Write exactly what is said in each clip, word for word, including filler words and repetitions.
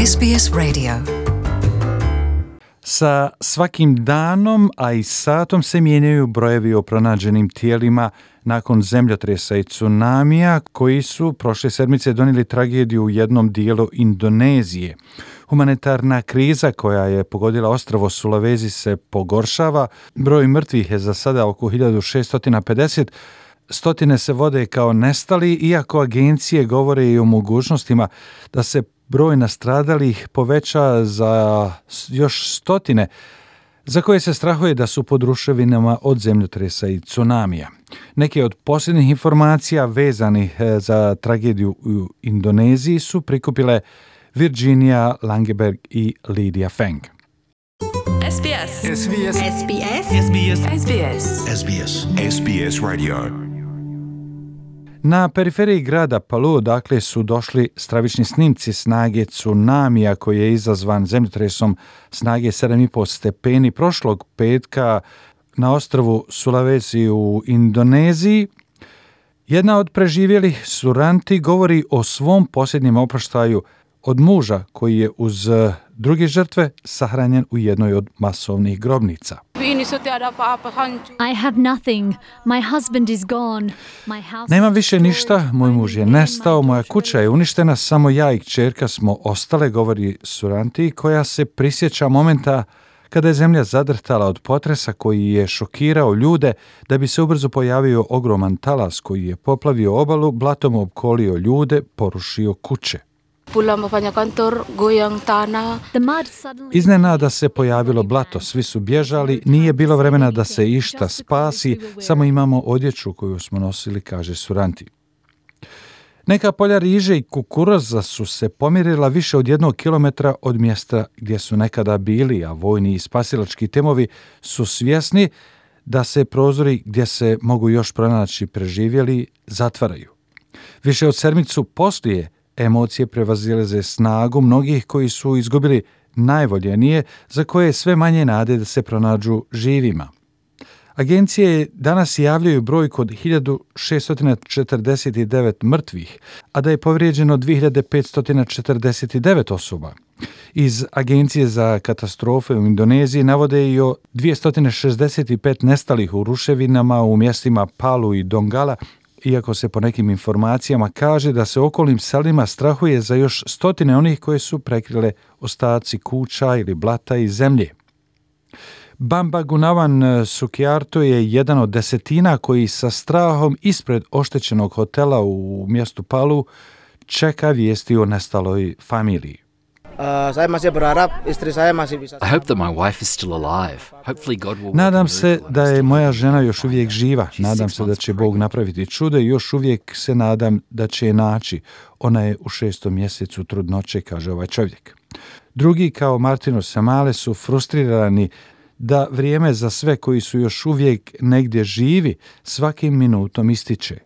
S B S Radio. Sa svakim danom, a i satom se mijenjaju brojevi o pronađenim tijelima nakon zemljotresa i tsunamija koji su prošle sedmice donijeli tragediju u jednom dijelu Indonezije. Humanitarna kriza koja je pogodila ostrvo Sulawesi se pogoršava. Broj mrtvih je za sada oko hiljadu šesto pedeset. Stotine se vode kao nestali, iako agencije govore i o mogućnostima da se broj nastradalih poveća za još stotine, za koje se strahuje da su pod ruševinama od zemljotresa i tsunamija. Neke od posljednjih informacija vezanih za tragediju u Indoneziji su prikupile Virginia Langeberg i Lydia Feng. S B S. S B S. S B S. S B S. S B S. S B S. S B S Radio. Na periferiji grada Palu, dakle, su došli stravični snimci snage tsunamija koji je izazvan zemljotresom snage sedam i po stepeni prošlog petka na ostrvu Sulawesi u Indoneziji. Jedna od preživjelih, Suranti, govori o svom posljednjem oproštaju od muža koji je uz druge žrtve sahranjen u jednoj od masovnih grobnica. I have nothing. My husband is gone. My house Nemam is više ništa, destroyed. moj muž je nestao, moja kuća je uništena, samo ja i kćerka smo ostale, govori Suranti, koja se prisjeća momenta kada je zemlja zadrhtala od potresa koji je šokirao ljude, da bi se ubrzo pojavio ogroman talas koji je poplavio obalu, blatom opkolio ljude, porušio kuće. The mud suddenly Iznenada se pojavilo blato, svi su bježali, nije bilo vremena da se išta spasi, samo imamo odjeću koju smo nosili, kaže Suranti. Neka polja riže i kukuruza su se pomirila više od jednog kilometra od mjesta gdje su nekada bili, a vojni i spasilački timovi su svjesni da se prozori gdje se mogu još pronaći preživjeli zatvaraju. Više od sedmicu poslije emocije prevazilaze snagu mnogih koji su izgubili najvoljenije, za koje je sve manje nade da se pronađu živima. Agencije danas javljaju brojku od hiljadu šesto četrdeset devet mrtvih, a da je povrijeđeno dvije hiljade petsto četrdeset devet osoba. Iz Agencije za katastrofe u Indoneziji navode i o dvjesto šezdeset pet nestalih u ruševinama u mjestima Palu i Donggala, iako se po nekim informacijama kaže da se okolnim selima strahuje za još stotine onih koje su prekrile ostaci kuća ili blata i zemlje. Bamba Gunawan Sugiarto je jedan od desetina koji sa strahom ispred oštećenog hotela u mjestu Palu čeka vijesti o nestaloj familiji. Saya masih berharap istri saya masih bisa. I hope that my wife is still alive. Hopefully God will. Nadam se da je moja žena još uvijek živa. Nadam se da će Bog napraviti čudo i još uvijek se nadam da će je naći. Ona je u šestom mjesecu trudnoće, kaže ovaj čovjek. Drugi, kao Martino Samale, su frustrirani da vrijeme za sve koji su još uvijek negdje živi svakim minutom ističe.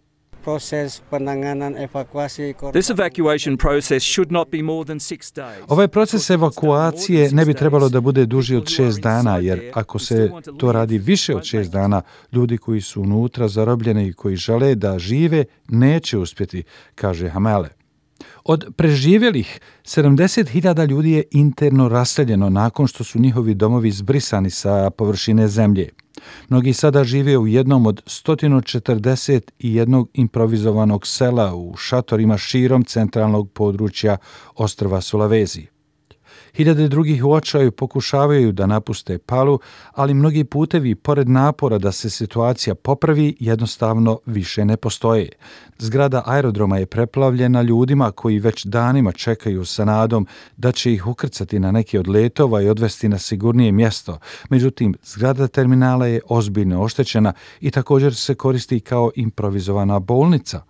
Proses penanganan evakuasi korban. This evacuation process should not be more than six days. Ovaj proces evakuacije ne bi trebalo da bude duži od šest dana, jer ako se to radi više od šest dana, ljudi koji su unutra zarobljeni i koji žele da žive neće uspjeti, kaže Hamale. Od preživjelih, sedamdeset hiljada ljudi je interno raseljeno nakon što su njihovi domovi zbrisani sa površine zemlje. Mnogi sada žive u jednom od sto četrdeset jedan improvizovanog sela u šatorima širom centralnog područja ostrva Sulawesi. Hiljade drugih u očaju pokušavaju da napuste Palu, ali mnogi putevi, pored napora da se situacija popravi, jednostavno više ne postoje. Zgrada aerodroma je preplavljena ljudima koji već danima čekaju sa nadom da će ih ukrcati na neki od letova i odvesti na sigurnije mjesto. Međutim, zgrada terminala je ozbiljno oštećena i također se koristi kao improvizovana bolnica.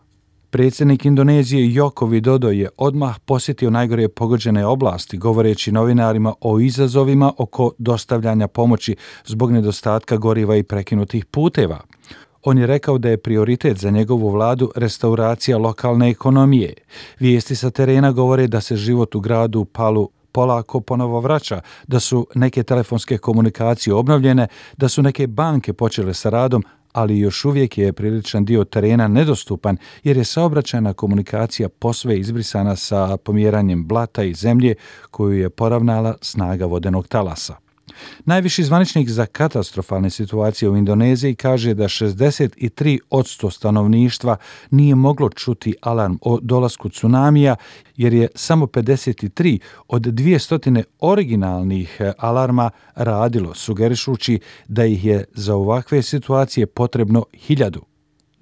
Predsjednik Indonezije Joko Widodo je odmah posjetio najgore pogođene oblasti, govoreći novinarima o izazovima oko dostavljanja pomoći zbog nedostatka goriva i prekinutih puteva. On je rekao da je prioritet za njegovu vladu restauracija lokalne ekonomije. Vijesti sa terena govore da se život u gradu Palu polako ponovo vraća, da su neke telefonske komunikacije obnovljene, da su neke banke počele sa radom, ali još uvijek je priličan dio terena nedostupan jer je saobraćajna komunikacija posve izbrisana sa pomjeranjem blata i zemlje koju je poravnala snaga vodenog talasa. Najviši zvaničnik za katastrofalne situacije u Indoneziji kaže da šezdeset tri posto stanovništva nije moglo čuti alarm o dolasku tsunamija jer je samo pedeset tri od dvjesto originalnih alarma radilo, sugerišući da ih je za ovakve situacije potrebno hiljadu.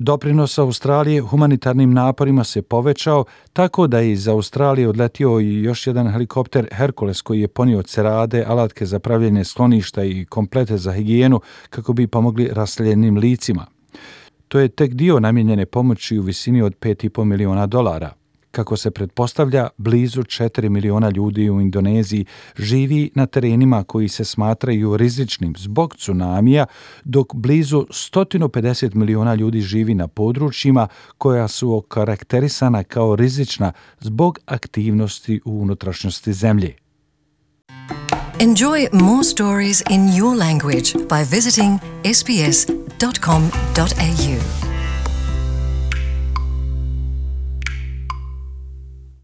Doprinos Australije humanitarnim naporima se povećao tako da je iz Australije odletio i još jedan helikopter Hercules koji je ponio cerade, alatke za pravljenje skloništa i komplete za higijenu kako bi pomogli raseljenim licima. To je tek dio namijenjene pomoći u visini od pet i po miliona dolara. Kako se pretpostavlja, blizu četiri miliona ljudi u Indoneziji živi na terenima koji se smatraju rizičnim zbog tsunamija, dok blizu sto pedeset miliona ljudi živi na područjima koja su okarakterisana kao rizična zbog aktivnosti u unutrašnjosti zemlje. Enjoy more stories in your language by visiting s b s dot com dot a u.